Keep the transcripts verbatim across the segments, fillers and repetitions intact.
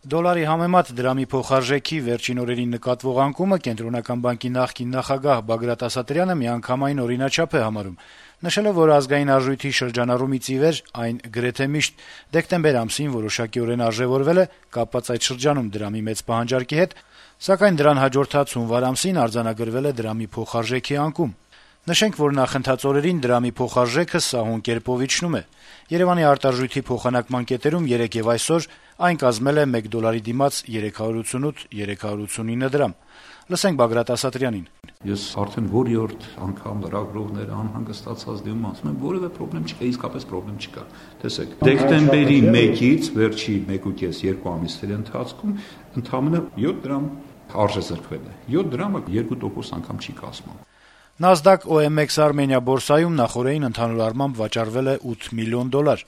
Դոլարի համեմատ դրամի փոխարժեքի վերջին օրերին նկատվող անկումը Կենտրոնական բանկի նախկին նախագահ Բագրատ Ասատրյանը միանգամայն օրինաչափ է համարում, նշելով, որ ազգային արժույթի շրջանառումից ի վեր այն գրեթե միշտ դեկտեմբեր ամսին որոշակիորեն արժեւորվել է կապված այդ շրջանում դրամի մեծ պահանջարկի հետ, սակայն դրան հաջորդած հունվար ամսին արձանագրվել է դրամի փոխարժեքի անկում։ Նշենք, որ նախընթաց օրերին դրամի փոխարժեքը սահուն կերպով իջնում է։ Երեւանի արտարժույթի փոխանակման կետերում երեկ եւ այսօր այն կազմել է մեկ դոլարի դիմաց երեք հարյուր ութսունութ - երեք հարյուր ութսունինը դրամ։ Լսենք Բագրատ Ասատրյանին. Ես արդեն որի-օրդ անգամ լրագրողները անհանգստացած դիմում ասում են, որևէ խնդրեմ չկա, իսկապես խնդրեմ չկա։ Տեսեք, դեկտեմբերի մեկից վերջի մեկուկես երկու ամիսների ընթացքում ընդամենը յոթ դրամ արժե զրկվել է։ յոթ դրամը երկու տոկոս անգամ չի կազմում։ NASDAQ O M X Armenia բորսայում նախորդին ընդհանուր առմամբ վաճառվել է ութ միլիոն դոլար։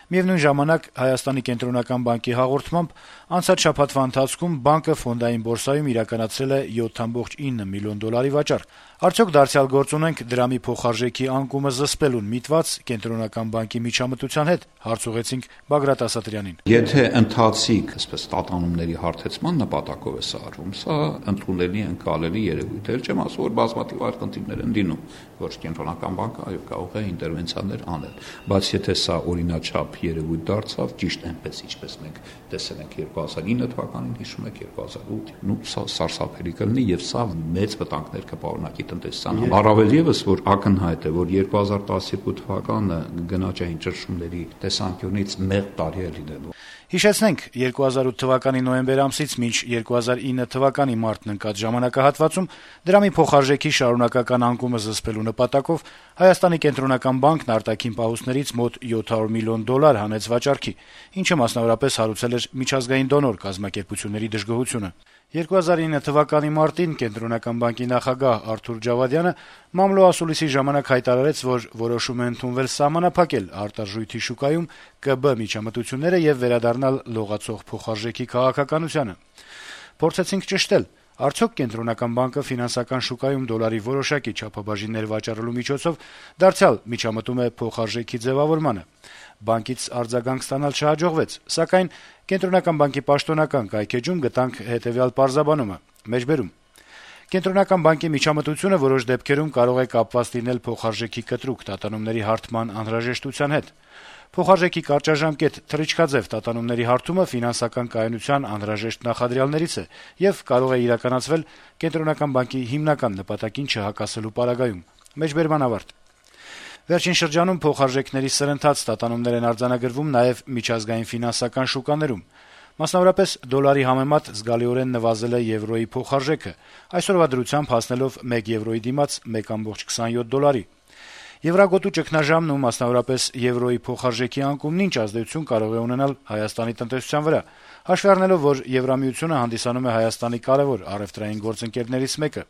Միևնույն ժամանակ Հայաստանի կենտրոնական բանկի հաղորդմամբ անցած շաբաթվա ընթացքում բանկը ֆոնդային բորսայում իրականացրել է յոթ կoma ինը միլիոն դոլարի վաճառք։ Արդյոք դարձյալ գործ ունենք դրամի փոխարժեքի անկումը զսպելուն միտված կենտրոնական բանկի միջամտության հետ, հարց ուղեցինք Բագրատ Ասատրյանին։ Եթե ընթացիկ, այսպես տատանումների հարթեցման նպատակով է սա արվում, սա ընդունելի ընկալելի երևույթ է, չեմ ասում, որ բազմաթիվ այլ խնդիրներ են լինում, որ կենտրոնական բանկը այո կարող է ինտերվենցիաներ անել, բայց եթե սա օրինաչափ երևույթ դարձավ, ճիշտ այնպես ինչպես մենք տեսել ենք երկու հազար ինը թվականին, հիշում եք երկու հազար ութ, նու սա սարսափելի կլինի եւ սա մեծ վտանգներ կպարունակի տնտեսությանը։ Առավել եւս, որ ակնհայտ է, որ երկու հազար տասներկու թվականը գնաճային ճնշումների տեսանկյունից մեղմ տարի է լինելու։ Հիշեցնենք, երկու հազար ութ թվականի նոյեմբեր ամսից մինչ երկու հազար ինը թվականի մարտն ընկած ժամանակահատվածում դրամի փոխարժեքի շարունակական անկումը զսպելու նպատակով Հայաստանի կենտրոնական բանկն արտաքին պահուստներից մոտ յոթ հարյուր միլիոն դոլար հանեց վաճառքի, ինչը մասնավորապես հարուցել էր միջազգային դոնոր կազմակերպությունների դժգոհությունը։ երկու հազար ինը թվականի մարտին Կենտրոնական բանկի նախագահ Արթուր Ջավադյանը մամլո ասուլիսի ժամանակ հայտարարեց, որ որոշում է ընդունվել սահմանափակել արտարժույթի շուկայում Կ B միջամտությունները եւ վերադառնալ լողացող փոխարժեքի քաղաքականությանը։ Փորձեցինք ճշտել, արդյոք Կենտրոնական բանկը ֆինանսական շուկայում դոլարի որոշակի չափաբաժիններ վաճառելու միջոցով դարձյալ միջամտում է փոխարժեքի ձևավորմանը։ Բանկից արձագանք ստանալ չհաջողվեց, սակայն Կենտրոնական բանկի պաշտոնական կայքեջում գտանք հետեւյալ պարզաբանումը. մեջբերում Կենտրոնական բանկի միջամտությունը որոշ դեպքերում կարող է կապված լինել փոխարժեքի կտրուկ տատանումների հարթման անհրաժեշտության հետ։ Փոխարժեքի կարճաժամկետ թռիչքաձև տատանումների հարթումը ֆինանսական կայունության անհրաժեշտ նախադրյալներից է եւ կարող է իրականացվել Կենտրոնական բանկի հիմնական նպատակին չհակասելու պարագայում։ Մեջբերման ավարտ։ Վերջին շրջանում փոխարժեքների սրընթաց տատանումներ են արձանագրվում նաեւ միջազգային ֆինանսական շուկաներում։ Մասնավորապես դոլարի համեմատ զգալիորեն նվազել է եվրոյի փոխարժեքը, այսօրվա դրությամբ հասնելով մեկ եվրոյի դիմաց մեկ կoma քսանյոթ դոլարի։ Եվրագոտու ճգնաժամն ու մասնավորապես եվրոյի փոխարժեքի անկումն ինչ ազդեցություն կարող է ունենալ Հայաստանի տնտեսության վրա, հաշվի առնելով, որ Եվրամիությունը հանդիսանում է Հայաստանի կարևոր առևտրային գործընկերներից մեկը։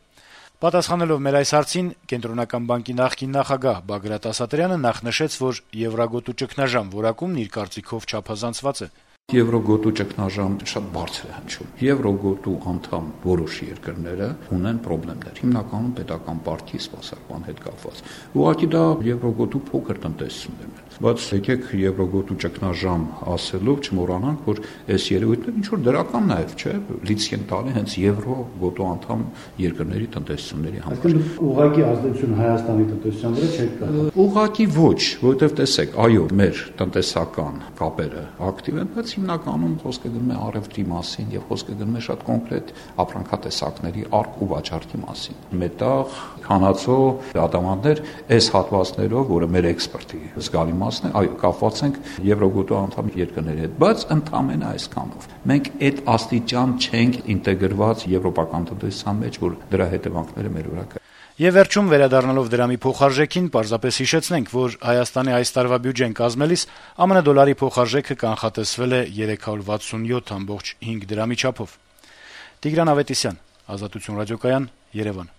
Պատասխանելով մեր այս հարցին Կենտրոնական բանկի նախկին նախագահ Բագրատ Ասատրյանը նախ նշեց, որ եվրագոտու ճգնաժամ որակումն իր կարծիքով չափազանցված է։ Եվրոգոտու ճգնաժամ շատ բարձր է հնչում։ Եվրոգոտու անդամ որոշ երկրները ունեն խնդիրներ, հիմնականում պետական պարտքի սպասարկման հետ կապված։ Ուղղակի դա եվրոգոտու փոքր տնտեսություններն են։ Բայց եկեք եվրոգոտու ճգնաժամ ասելով չմոռանանք, որ այս երևույթները ինչ որ դրական նաև չէ, լիցք են տալի հենց եվրոգոտու անդամ երկրների տնտեսությունների համար։ Այսինքն ուղղակի ազդեցություն Հայաստանի տնտեսության վրա չէ կա։ Ուղղակի ոչ, որովհետև տեսեք, այո, մեր տնտեսական կապերը ակտիվ են, բայց հիմնականում խոսքը գնում է առևտրի մասին եւ խոսքը գնում է շատ կոնկրետ ապրանքատեսակների առք ու վաճառքի մասին։ Մետաղ, քանածո, ադամանդներ, այս հատվածներով, որը մեր էքսպորտի զգալի մասն է, այո, կապված ենք եվրոգոտու անդամ երկրների հետ, բայց ընդամենը այսքանով։ Մենք այդ աստիճան չենք ինտեգրված եվրոպական տնտեսության մեջ, որ դրա հետևանքները մեր վրա կա։ Եվ վերջում վերադառնալով դրամի փոխարժեքին, պարզապես հիշեցնենք, որ Հայաստանի այս տարվա բյուջեն կազմելիս ԱՄՆ դոլարի փոխարժեքը կանխատեսվել է երեք հարյուր վաթսունյոթ կoma հինգ դրամի չափով։ Տիգրան Ավետիսյան, Ազատություն ռադիոկայան, Երևան։